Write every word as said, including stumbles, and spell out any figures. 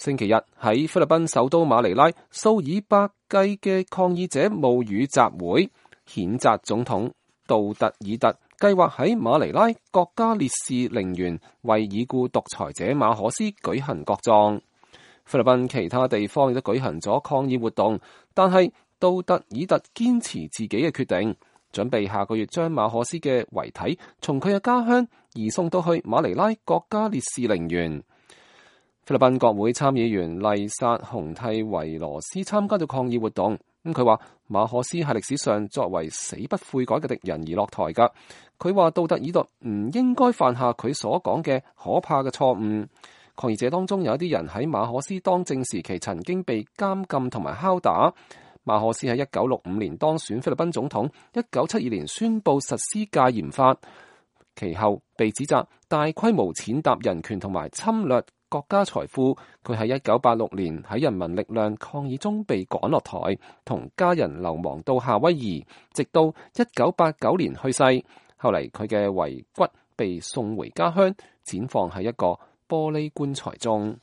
星期日喺菲律賓首都馬尼拉，數以百計嘅抗議者冒雨集會，譴責總統杜特爾特計劃喺馬尼拉國家烈士陵園為已故獨裁者馬可斯舉行國葬。菲律賓其他地方亦都舉行咗抗議活動，但係杜特爾特堅持自己嘅決定，準備下個月將馬可斯嘅遺體從佢嘅家鄉移送到去馬尼拉國家烈士陵園。菲律賓國會參議員麗薩洪蒂維羅斯參加咗抗議活動，咁佢話馬可斯係歷史上作為死不悔改嘅敵人而落台噶。佢話杜特爾特唔應該犯下佢所講嘅可怕嘅錯誤。抗議者當中有一啲人喺馬可斯當政時期曾經被監禁同埋敲打。馬可斯喺一九六五年當選菲律賓總統，一九七二年宣布實施戒嚴法，其後被指責大規模踐踏人權同埋侵略國家財富。佢喺一九八六年喺人民力量抗議中被趕落台，同家人流亡到夏威夷，直到一九八九年去世。後嚟佢嘅遺骨被送回家鄉，展放喺一個玻璃棺材中。